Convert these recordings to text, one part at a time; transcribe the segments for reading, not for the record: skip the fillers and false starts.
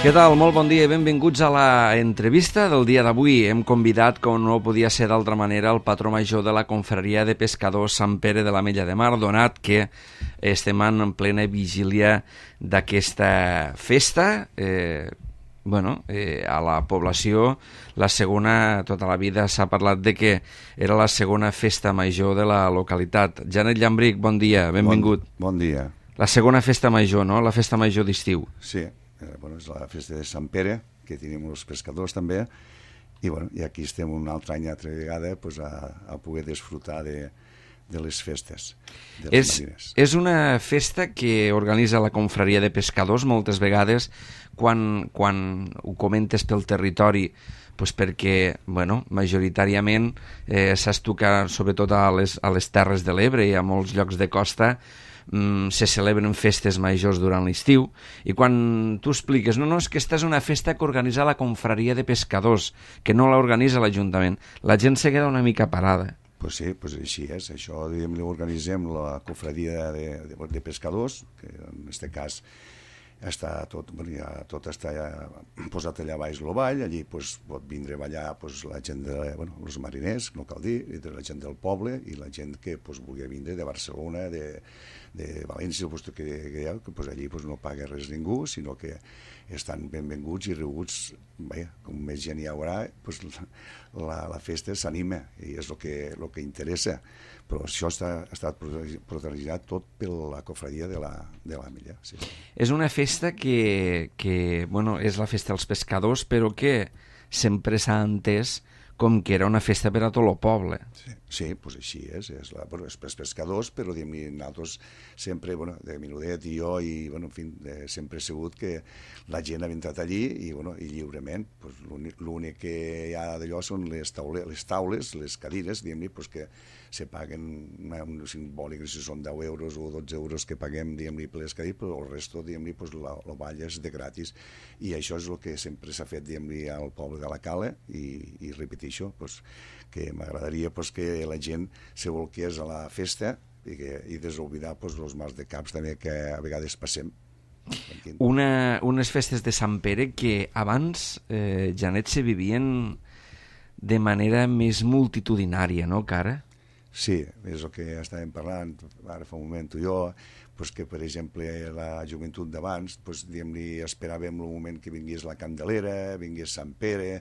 Què tal? Molt bon dia i benvinguts a la entrevista del dia d'avui. Hem convidat, com no podia ser d'altra manera, el patró major de la Confraria de Pescadors Sant Pere de l'Ametlla de Mar, donat que estem en plena vigília d'aquesta festa. A la població, la segona, tota la vida s'ha parlat de que era la segona festa major de la localitat. Janet Llambric, bon dia, benvingut. Bon dia. La segona festa major, no? La festa major d'estiu. Sí, és la festa de Sant Pere, que tenim els pescadors també, i aquí estem un altre any, altra vegada, a poder disfrutar de les festes. És una festa que organitza la Confraria de Pescadors moltes vegades quan ho comentes pel territori, perquè majoritàriament s'estuca sobretot a les Terres de l'Ebre i a molts llocs de costa. Se celebren festes majors durant l'estiu i quan tu expliques no, és que aquesta és una festa que organitza la Confraria de Pescadors, que no l'organitza l'Ajuntament, la gent se queda una mica parada. Pues sí, així és. Això l'organitzem la Confraria de Pescadors, que en aquest cas està tot està posat allà baix el vall. Allí pot vindre a ballar la gent els mariners, no cal dir, la gent del poble i la gent que vulgui vindre de Barcelona, de València, que allí no paga res ningú, sinó que estan benvinguts i rebuts. Com més gent hi haurà, la festa s'anima i és el que interessa. Però això ha estat protagonitzat tot per la Confraria de l'Ametlla. Sí. És una festa que és la festa dels pescadors, però que sempre s'ha entès com que era una festa per a tot el poble. Sí, així és. És pels pescadors, però nosaltres sempre, de menudet i jo, sempre he sabut que la gent ha entrat allí i lliurement. L'únic que hi ha d'allò són les taules, les cadires, que se paguen un simbòlic, si són 10 euros o 12 euros que paguem per les cadires, però el resto el ball és de gratis. I això és el que sempre s'ha fet al poble de la Cala i repeteixo, que m'agradaria que la gent se volqués a la festa i desoblidar els mals de caps també que a vegades passem. Unes festes de Sant Pere que abans, Janet, se vivien de manera més multitudinària, no, que ara? Sí, és el que estàvem parlant ara fa un moment tu i jo, que per exemple la joventut d'abans esperàvem el moment que vingués la Candelera, vingués Sant Pere,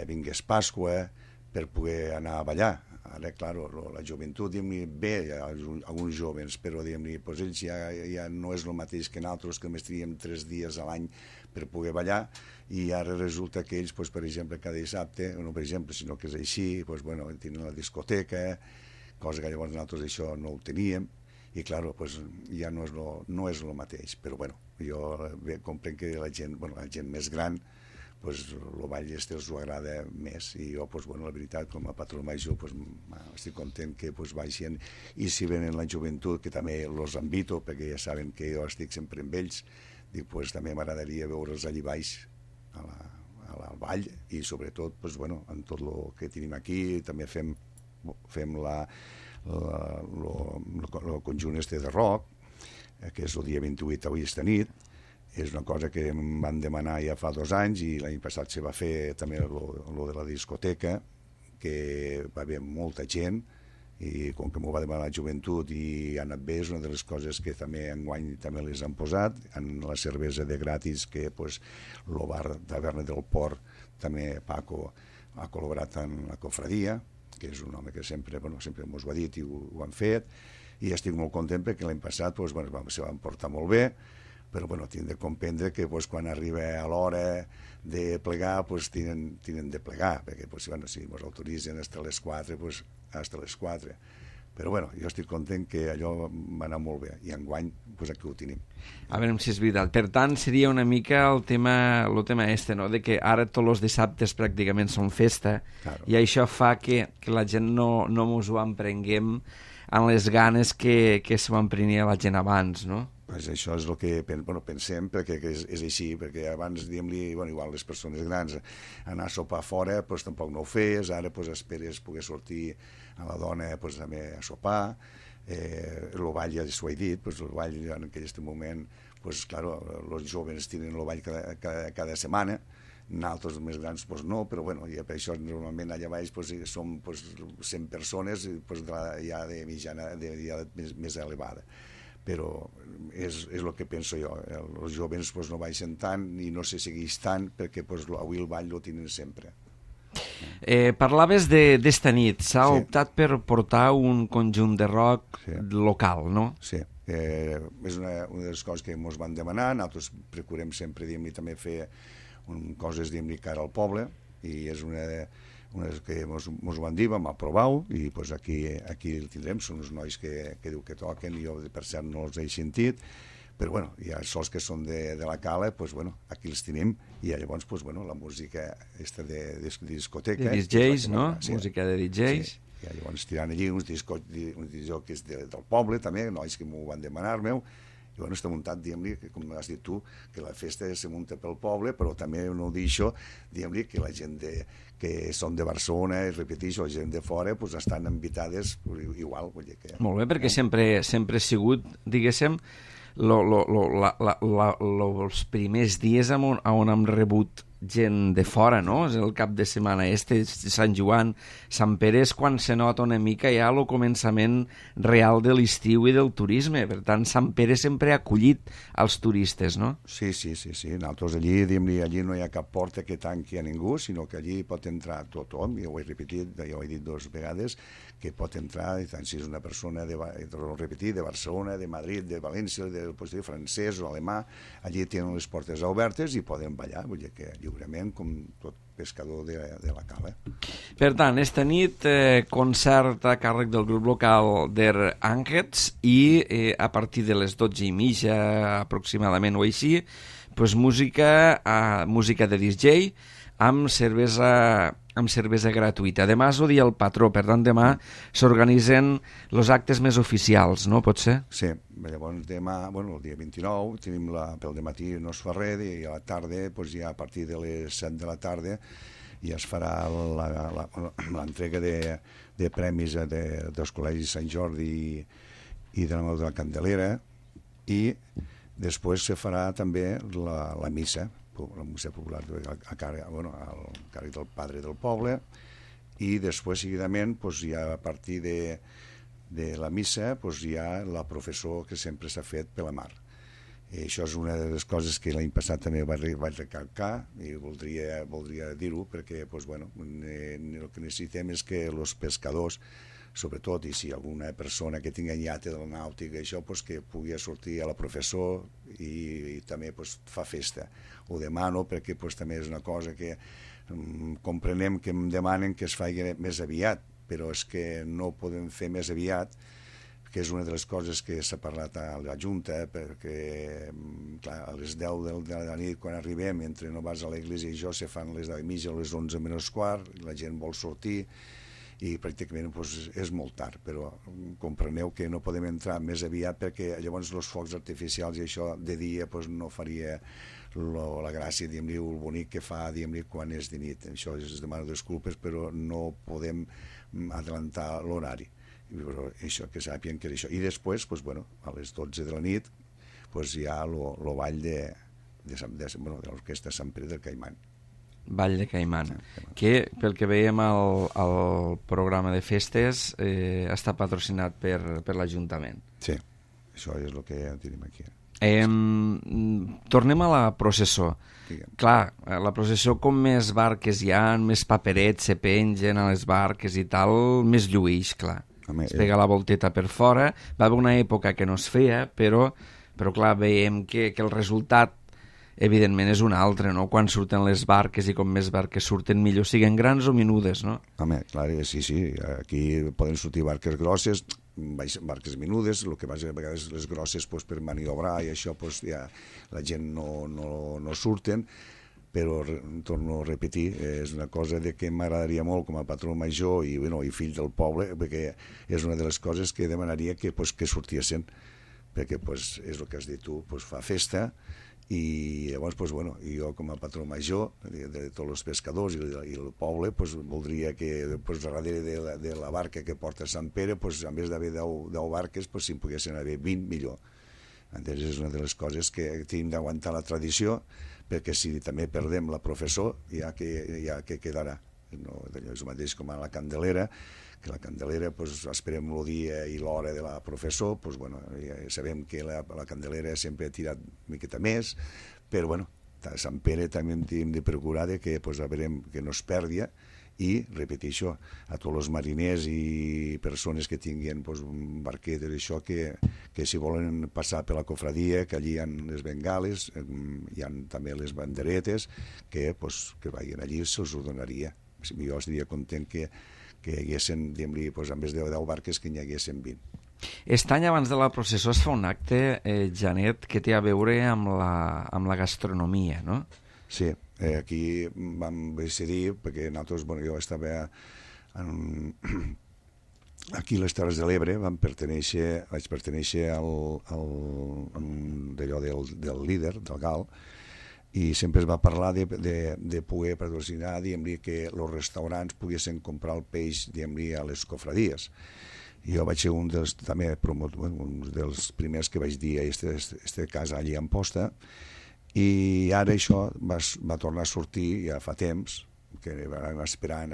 vingués Pasqua per poder anar a ballar. Ara, clar, la joventut ve, hi ha alguns joves, però ells ja no és el mateix que nosaltres, que només teníem 3 dies a l'any per poder ballar, i ara resulta que ells, per exemple, cada dissabte, no per exemple, sinó que és així, tenen la discoteca, cosa que llavors nosaltres això no ho teníem, i clar, ja no és el mateix. Però jo comprenc que la gent més gran, el ball els ho agrada més, i jo, la veritat, com a patró major, estic content que baixen, i si venen la joventut, que també els invito, perquè ja saben que jo estic sempre amb ells, també m'agradaria veure'ls allí baix, al ball, i sobretot, en tot el que tenim aquí, també fem el conjunt de rock, que és el dia 28 avui esta nit. És una cosa que em van demanar ja fa 2 anys, i l'any passat se va fer també el de la discoteca, que va haver molta gent, i com que m'ho va demanar la joventut i ha anat bé, és una de les coses que també enguany també les han posat. En la cervesa de gratis, que el bar Taverna del Port, també Paco ha col·laborat en la confraria, que és un home que sempre ens ho ha dit i ho han fet, i estic molt content perquè l'any passat se van portar molt bé, però tinc de comprendre que quan arriba a l'hora de plegar tenen de plegar, perquè si ens autoritzen fins a les 4, fins a les 4. Però jo estic content que allò va anar molt bé, i enguany aquí ho tenim. A veure si és veritat. Per tant, seria una mica el tema no? De que ara tots els dissabtes pràcticament són festa, claro. I això fa que la gent no ens ho emprenguem amb les ganes que se ho emprenia la gent abans, no? Això és el que pensem, perquè és així, perquè abans, igual les persones grans, anar a sopar fora, tampoc no ho feies, ara esperes poder sortir a la dona també a sopar, el ball ja s'ho he dit, pues, el ball en aquest moment, pues, claro, els jóvens tenen el ball cada setmana, nosaltres més grans pues, no, però bueno, ja per això normalment allà baix pues, som pues, 100 persones pues, ja de mitjana ja més elevada, però és el que penso jo, els jóvens pues, no baixen tant i no se segueix tant perquè pues, avui el ball lo tenen sempre. Parlaves d'esta nit, s'ha optat per portar un conjunt de rock local, no? Sí, és una de les coses que ens van demanar, nosaltres procurem sempre també fer coses cara al poble, i és una que ens van dir, vam aprovar-ho, i pues, aquí el tindrem, són uns nois que diu que toquen, i jo per cert no els he sentit, però bueno, hi ha sols que són de la Cala, pues, bueno, aquí els tenim, i llavors pues, bueno, la música de discoteca... De DJs, no? Música de DJs. Sí. I llavors tiran allí uns discjòqueis del poble, també, nois que m'ho van demanar, meu, i bueno, està muntat, diguem-li, com has dit tu, que la festa se munta pel poble, però també no deixo, diguem-li, que la gent que són de Barcelona, repeteixo, la gent de fora, pues, estan invitades igual. Vull dir que, molt bé, perquè sempre ha sigut, diguéssim, els primers dies on hem rebut gent de fora, no? És el cap de setmana Sant Joan, Sant Pere, és quan se nota una mica ja el començament real de l'estiu i del turisme. Per tant, Sant Pere sempre ha acollit els turistes, no? Sí. Nosaltres allí no hi ha cap porta que tanqui a ningú, sinó que allí pot entrar tothom, jo ho he repetit, jo ho he dit 2 vegades, que pot entrar, tant si és una persona de Barcelona, de Madrid, de València, de francès o alemà, allí tenen les portes obertes i poden ballar, vull dir que lliurement, com tot pescador de la Cala. Per tant, esta nit, concert a càrrec del grup local Der Angels i a partir de les 12:30 aproximadament o així, pues, música de DJ amb cervesa gratuïta. Demà és el dia del patró, per tant demà s'organitzen els actes més oficials, no? Pot ser? Sí, llavors demà, el dia 29, tenim pel dematí no es fa res, i a la tarda, ja a partir de les 7 de la tarda, ja es farà l'entrega de premis dels col·legis Sant Jordi i de la Candelera, i després se farà també la missa popular al càrrec del padre del poble, i després seguidament ja a partir de la missa hi ha la professó que sempre s'ha fet per la mar. I això és una de les coses que l'any passat també vaig recalcar i voldria dir-ho, perquè el que necessitem és que els pescadors, sobretot, i si alguna persona que tingui iate de la nàutica, això, que pugui sortir a la professó i també fa festa. Ho demano perquè també és una cosa que comprenem que em demanen que es faci més aviat, però és que no podem fer més aviat, que és una de les coses que s'ha parlat a la Junta, perquè clar, a les 10 de la nit, quan arribem, mentre no vas a l'església i jo, se fan les 10:30 o les 11 menys quart, la gent vol sortir, i pràcticament és molt tard, però compreneu que no podem entrar més aviat perquè llavors els focs artificials i això de dia no faria la gràcia, diguem-li, el bonic que fa, diguem-li, quan és de nit. Això es demano disculpes, però no podem adelantar l'horari. Però això, que sàpien que és això. I després, a les 12 de la nit, hi ha el ball de l'orquestra Sant Pere del Caimán. Ball de Caimán, que pel que veiem al programa de festes està patrocinat per l'Ajuntament. Sí, això és el que tenim aquí. Tornem a la processó. Clar, la processó, com més barques hi ha, més paperets se pengen a les barques i tal, més lluïix, clar. Es pega la volteta per fora. Va haver una època que no es feia, però clar, veiem que el resultat evidentment és un altre, no? Quan surten les barques i com més barques surten millor, siguen grans o menudes, no? Home, clar, sí, aquí poden sortir barques grosses, barques menudes, el que passa a vegades les grosses per maniobrar i això ja la gent no surten, però torno a repetir, és una cosa que m'agradaria molt com a patró major i fill del poble, perquè és una de les coses que demanaria que sortiessin, perquè pues, és el que has dit tu, pues, fa festa, i llavors pues, bueno, jo com a patró major de tots els pescadors i el poble pues, voldria que pues, darrere de la barca que porta Sant Pere pues, en vez d'haver 10 barques pues, si en poguessin haver 20 millor. Entonces, és una de les coses que tenim d'aguantar la tradició, perquè si també perdem la professor ja que quedarà, no? És el mateix com a la Candelera, que la Candelera pues, esperem el dia i l'hora de la professor, pues, bueno, ja sabem que la Candelera sempre ha tirat una miqueta més, però bueno, a Sant Pere també hem de procurar que pues, a veure, que no es perdi, i repeteixo a tots els mariners i persones que tinguin pues, barquetes i això, que si volen passar per la cofradia, que allí hi ha les bengales, hi ha també les banderetes, que vagin allí, se'ls ho donaria. Jo estaria content que hi haguessin, diguem-li, pues, en vez de 10 barques, que n'hi haguessin 20. Aquest any, abans de la processó, es fa un acte, Janet, que té a veure amb la gastronomia, no? Sí, aquí vam decidir, perquè nosaltres, bueno, jo estava aquí a les Terres de l'Ebre, vaig pertenèixer d'allò del líder, del GAL, i sempre es va parlar de poder patrocinar, diguem-li, que els restaurants poguessin comprar el peix, diguem-li, a les cofradies. Jo vaig ser un dels primers que vaig dir este cas allí a Amposta, i ara això va tornar a sortir ja fa temps, que vam esperant,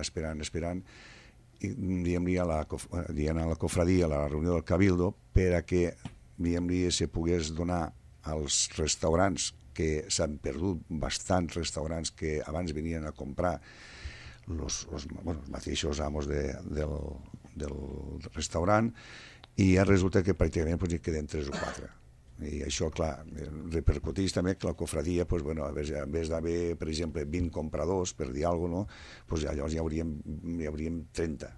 i diguem-li a la cofradia, a la reunió del Cabildo, per a que, diguem-li, se pogués donar als restaurants, que s'han perdut bastants restaurants que abans venien a comprar els mateixos amos del restaurant, i ja resulta que pràcticament hi queden 3 o 4. I això, clar, repercuteix també que la cofradia, pues, bueno, en vez d'haver, per exemple, 20 compradors, per dir alguna cosa, pues, llavors hi hauríem 30.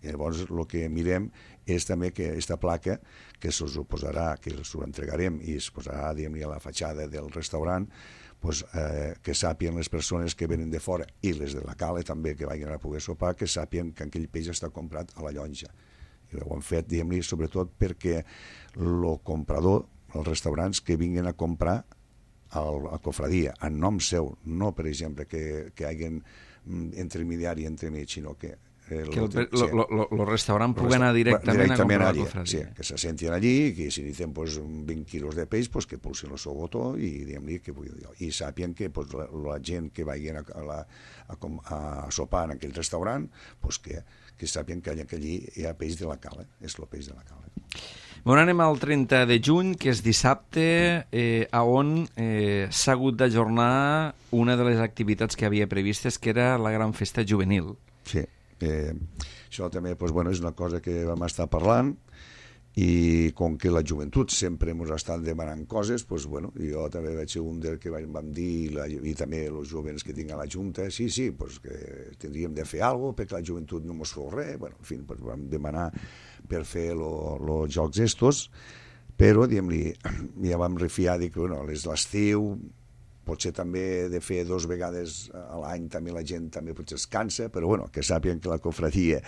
I llavors el que mirem és també que aquesta placa, que se'ls ho posarà, que els ho entregarem i es posarà, diguem-li, a la fatxada del restaurant, pues, que sàpien les persones que venen de fora i les de la cala també, que vagin a poder sopar, que sàpien que aquell peix està comprat a la llonja. I ho hem fet, diguem-li, sobretot perquè el comprador, els restaurants que vinguin a comprar a cofradia, en nom seu, no, per exemple, que hi hagi intermediari entremig, sinó que el restaurant pugui anar directament a comprar la cofradia. Sí, que se sentin allí i que si necessiten pues, 20 quilos de peix, pues, que pulsin el seu botó i diguem-li que i sàpien que pues, la gent que vagin a sopar en aquell restaurant, pues, que sàpien que allí hi ha peix de la cala, és el peix de la cala. Bueno, anem al 30 de juny, que és dissabte, on s'ha hagut d'ajornar una de les activitats que havia previstes, que era la gran festa juvenil. Sí, això també pues, bueno, és una cosa que vam estar parlant, i com que la joventut sempre ens ha estat demanant coses, pues, bueno, jo també vaig ser un del que vam dir, i també els jovens que tinc a la Junta, sí, pues, que tindríem de fer alguna cosa perquè la joventut no mos feu res, bueno, en fi, pues, vam demanar per fer els jocs estos, però, diguem-li, ja vam refiar que, bueno, l'estiu, potser també de fer 2 vegades a l'any també la gent també potser es cansa, però bueno, que sàpien que la cofradia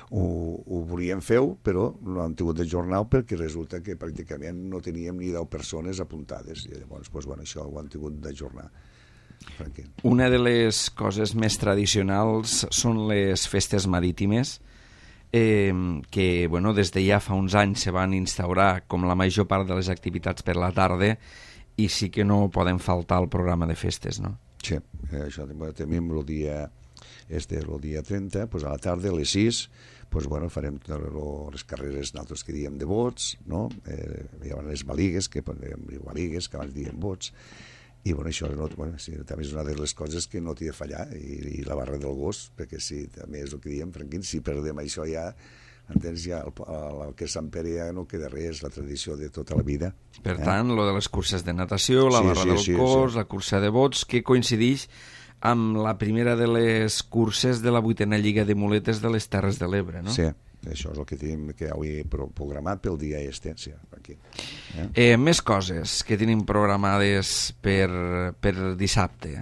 ho volíem fer, però no han tingut d'ajornar perquè resulta que pràcticament no teníem ni 10 persones apuntades, i llavors pues, bueno, això ho han tingut d'ajornar. Una de les coses més tradicionals són les festes marítimes, que bueno, des de ja fa uns anys se van instaurar com la major part de les activitats per la tarda, i sí que no poden faltar al programa de festes, no? Sí, això tenim el dia 30, pues a la tarda, a les 6, pues, bueno, farem les carreres nosaltres que diem de bots, no? Hi ha les baligues, que abans diem bots, i bueno, això sí, també és una de les coses que no t'hi de fallar, i la barra del gos, perquè sí, també és el que diem, Franquín, si perdem això ja, entens, ja el que és Sant Pere ja no queda res, la tradició de tota la vida. Per tant, lo de les curses de natació, la barra del cos, la cursa de bots, que coincideix amb la primera de les curses de la 8a Lliga de Muletes de les Terres de l'Ebre, no? Sí, això és el que tenim que avui programat pel dia este, sí, aquí. Més coses que tenim programades per dissabte.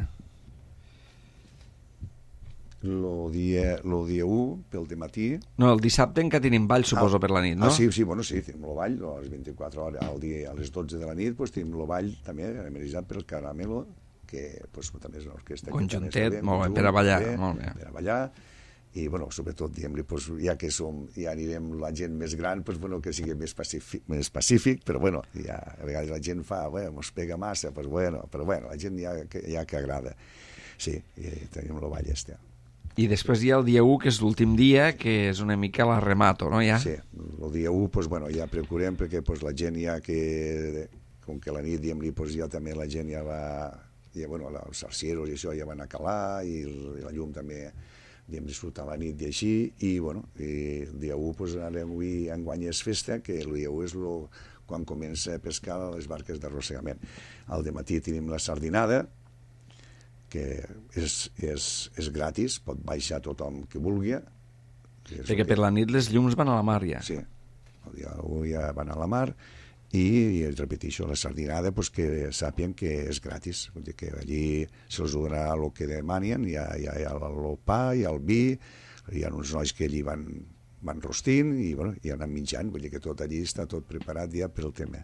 el dia 1 pel dematí. No, el dissabte encara tenim ball, suposo, per la nit, no? Sí, bueno, sí, tenim el ball, a les 24 hores, al dia, a les 12 de la nit, pues, tenim el ball també, amenitzat per el Caramelo, que pues, també és una orquestra... Conjuntet, molt bé, per a ballar, molt bé. Per a ballar, i, bueno, sobretot, diguem-li, pues, ja que ja anirem la gent més gran, pues, bueno, que sigui més pacífic, però, bueno, ja, a vegades la gent fa, bueno, mos pega massa, pues, bueno, però, bueno, la gent ja que agrada. Sí, i tenim el ball este. I després hi ha el dia 1, que és l'últim dia, que és una mica la remato, no? Ja? Sí, el dia 1, pues, bueno, ja procurem, perquè pues, la gent ja que... Com que la nit, diguem-li, pues, ja també la gent ja va... Ja, bueno, els arcieros i això ja van a calar, i la llum també, diguem, disfrutar la nit i així, i, bueno, i el dia 1, pues, avui enguany és festa, que el dia 1 és quan comença a pescar les barques d'arrossegament. Al dematí tenim la sardinada, que és gratis, pot baixar tothom que vulgui. Perquè per la nit les llums van a la mar, ja. Sí, el dia 1 ja van a la mar, i repeteixo, la sardinada, pues, que sàpien que és gratis, vull dir que allí se'ls donarà el que demanen, hi ha el pa, hi ha el vi, hi ha uns nois que allí van rostint i, bueno, i anem menjant, vull dir que tot allí està tot preparat ja per el tema.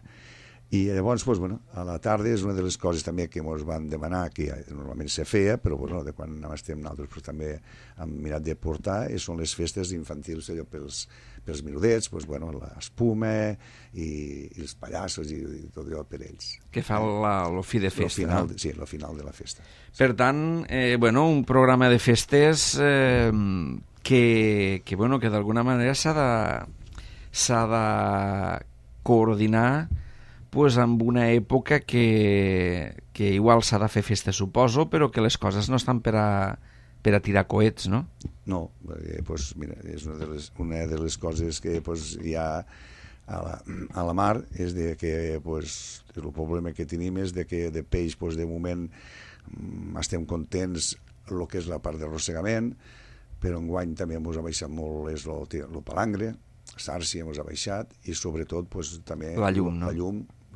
I llavors, pues, bueno, a la tarda és una de les coses també que ens van demanar, que normalment se feia, però bueno, de quan estem nosaltres pues, també hem mirat de portar, i són les festes infantils allò pels menudets, pues, bueno, l'espuma i els pallassos i tot allò per ells. Que fa el fi de festa. Final, no? Sí, el final de la festa. Per tant, bueno, un programa de festes que d'alguna manera s'ha de coordinar pues, amb una època que igual s'ha de fer festa, suposo, però que les coses no estan per a tirar coets, no? No, perquè, pues, mira, és una de les coses que pues, hi ha a la mar, és de que pues, el problema que tenim és de que de peix, pues, de moment, estem contents el que és la part d'arrossegament, però enguany també ens ha baixat molt el palangre, sàrcia ens ha baixat, i sobretot pues, també la llum, no?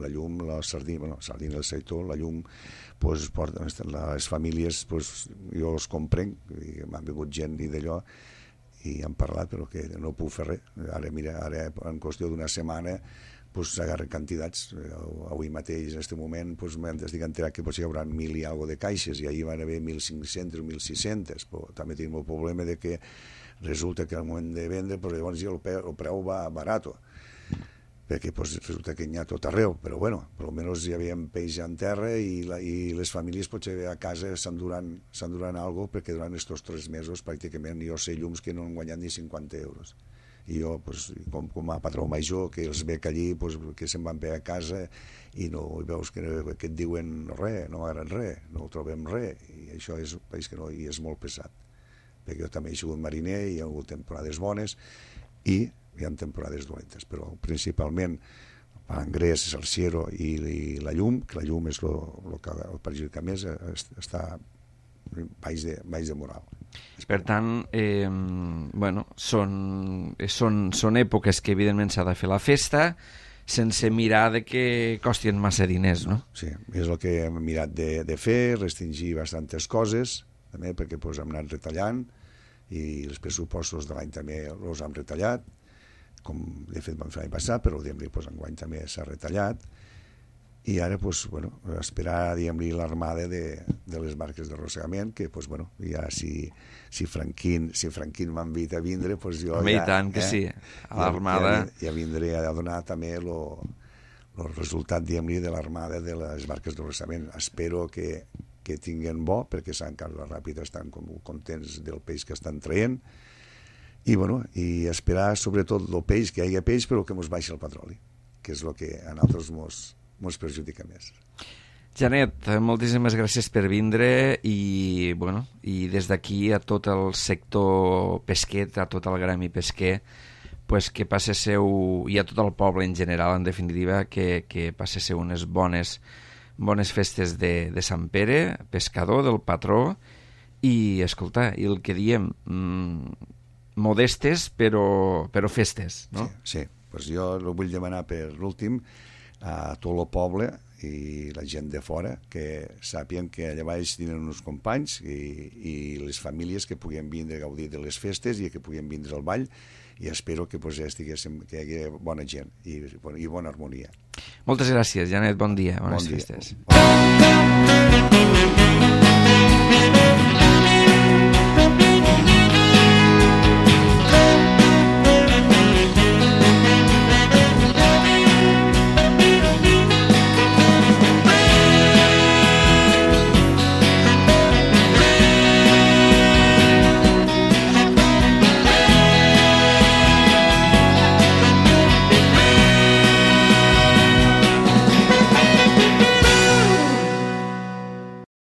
La llum, la sardina, el seitó, la llum, pues, les famílies, pues, jo els comprenc, m'han vingut gent i d'allò, i han parlat, però que no puc fer res. Ara, mira, en qüestió d'una setmana, pues, s'agarren quantitats. Avui mateix, en aquest moment, pues, estic enterat que hi haurà 1.000 i alguna de caixes, i ahir van haver 1.500 o 1.600, però també tenim el problema de que resulta que al moment de vendre, pues, llavors ja el preu va barat, perquè pues, resulta que n'hi ha tot arreu, però bueno, per almenys hi havia peix en terra i les famílies potser a casa s'enduran alguna cosa, perquè durant aquests 3 mesos pràcticament jo sé llums que no han guanyat ni 50 euros. I jo, pues, com a patró major, que els veig allí, pues, que se'n van bé a casa i no i veus que et diuen res, no agraden res, no trobem res, i això és un país que no, i és molt pesat. Perquè jo també he sigut mariner i hi ha hagut temporades bones i hi ha temporades dolentes, però principalment el palangrès, el ciero i la llum, que la llum és el que perjudica més, està baix de moral. Per tant, bueno, són èpoques que evidentment s'ha de fer la festa sense mirar de que costin massa diners, no? Sí, és el que hem mirat de fer, restringir bastantes coses, també perquè pues, hem anat retallant, i els pressupostos de l'any també els hem retallat, com de fet vam fer l'any passat, però pues, enguany també s'ha retallat, i ara pues, bueno, esperar l'armada de les barques d'arrossegament, que pues, bueno, ja si Franquín m'invita a vindre, pues, jo ja... tant que sí, a l'armada... Ja vindré a donar també el resultat, de l'armada de les barques d'arrossegament. Espero que tinguen bo, perquè Sant Carles Ràpid estan contents del peix que estan traient, i, bueno, i esperar sobretot el peix, que hi hagi peix, però que ens baixi el petroli, que és el que a nosaltres ens perjudica més. Janet, moltíssimes gràcies per vindre i, bueno, i des d'aquí a tot el sector pesquer, a tot el gremi pesquer, pues que passéssiu, i a tot el poble en general, en definitiva, que passéssiu unes bones festes de Sant Pere, pescador, del patró, i, escolta, i el que diem, modestes però festes, no? Sí, pues jo el vull demanar per l'últim a tot el poble i la gent de fora, que sàpien que allà baix tenen uns companys i les famílies que puguin vindre a gaudir de les festes i que puguin vindre al ball, i espero que pues, que hi hagi bona gent i bona harmonia. Moltes gràcies, Janet, bon dia, bones Bon dia. festes.